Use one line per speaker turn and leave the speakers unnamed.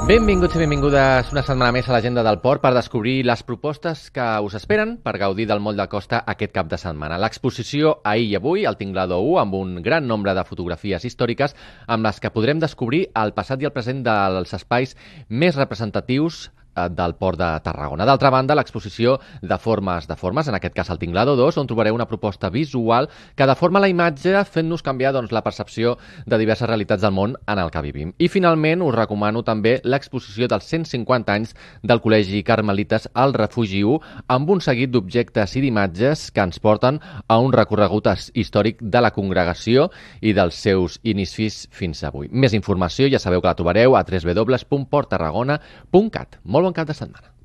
Benvinguts i benvingudes una setmana més a l'Agenda del Port per descobrir les propostes que us esperen per gaudir del moll de costa aquest cap de setmana. L'exposició Ahir i Avui, al Tinglador 1, amb un gran nombre de fotografies històriques amb les que podrem descobrir el passat i el present dels espais més representatius del Port de Tarragona. D'altra banda, l'exposició de formes, en aquest cas al Tinglador 2, on trobareu una proposta visual que deforma la imatge fent-nos canviar la percepció de diverses realitats del món en el que vivim. I finalment us recomano també l'exposició dels 150 anys del Col·legi Carmelites al Refugi 1 amb un seguit d'objectes i d'imatges que ens porten a un recorregut històric de la congregació i dels seus inicis fins avui. Més informació ja sabeu que la trobareu a www.porttarragona.cat. Molt bon cap de setmana.